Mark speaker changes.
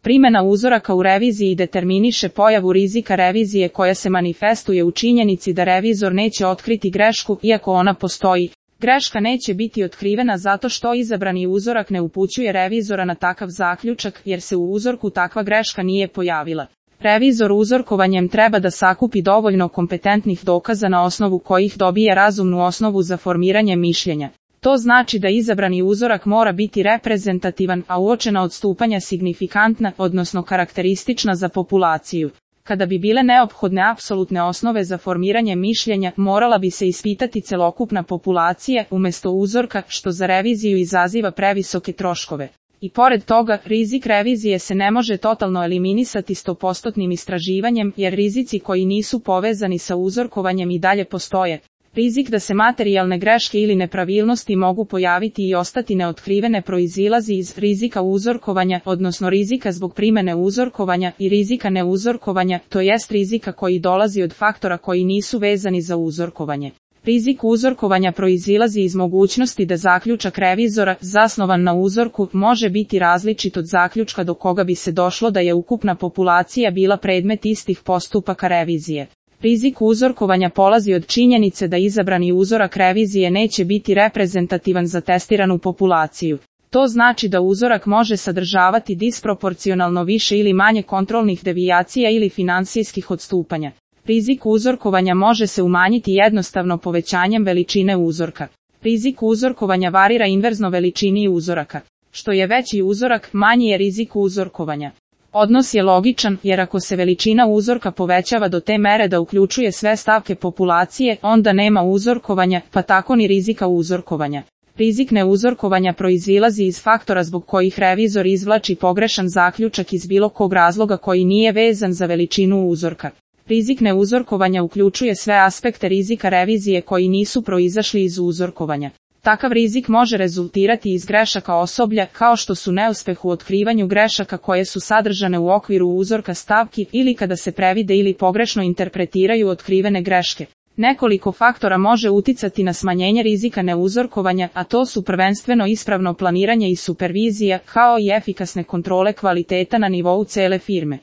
Speaker 1: Primjena uzoraka u reviziji determiniše pojavu rizika revizije koja se manifestuje u činjenici da revizor neće otkriti grešku iako ona postoji. Greška neće biti otkrivena zato što izabrani uzorak ne upućuje revizora na takav zaključak jer se u uzorku takva greška nije pojavila. Revizor uzorkovanjem treba da sakupi dovoljno kompetentnih dokaza na osnovu kojih dobije razumnu osnovu za formiranje mišljenja. To znači da izabrani uzorak mora biti reprezentativan, a uočena odstupanja signifikantna, odnosno karakteristična za populaciju. Kada bi bile neophodne apsolutne osnove za formiranje mišljenja, morala bi se ispitati celokupna populacija umjesto uzorka, što za reviziju izaziva previsoke troškove. I pored toga, rizik revizije se ne može totalno eliminisati 100% istraživanjem, jer rizici koji nisu povezani sa uzorkovanjem i dalje postoje. Rizik da se materijalne greške ili nepravilnosti mogu pojaviti i ostati neotkrivene proizilazi iz rizika uzorkovanja, odnosno rizika zbog primjene uzorkovanja i rizika neuzorkovanja, to jest rizika koji dolazi od faktora koji nisu vezani za uzorkovanje. Rizik uzorkovanja proizilazi iz mogućnosti da zaključak revizora, zasnovan na uzorku, može biti različit od zaključka do koga bi se došlo da je ukupna populacija bila predmet istih postupaka revizije. Rizik uzorkovanja polazi od činjenice da izabrani uzorak revizije neće biti reprezentativan za testiranu populaciju. To znači da uzorak može sadržavati disproporcionalno više ili manje kontrolnih devijacija ili finansijskih odstupanja. Rizik uzorkovanja može se umanjiti jednostavno povećanjem veličine uzorka. Rizik uzorkovanja varira inverzno veličini uzoraka. Što je veći uzorak, manji je rizik uzorkovanja. Odnos je logičan, jer ako se veličina uzorka povećava do te mere da uključuje sve stavke populacije, onda nema uzorkovanja, pa tako ni rizika uzorkovanja. Rizik neuzorkovanja proizilazi iz faktora zbog kojih revizor izvlači pogrešan zaključak iz bilo kog razloga koji nije vezan za veličinu uzorka. Rizik neuzorkovanja uključuje sve aspekte rizika revizije koji nisu proizašli iz uzorkovanja. Takav rizik može rezultirati iz grešaka osoblja, kao što su neuspeh u otkrivanju grešaka koje su sadržane u okviru uzorka stavki ili kada se previde ili pogrešno interpretiraju otkrivene greške. Nekoliko faktora može uticati na smanjenje rizika neuzorkovanja, a to su prvenstveno ispravno planiranje i supervizija, kao i efikasne kontrole kvaliteta na nivou cele firme.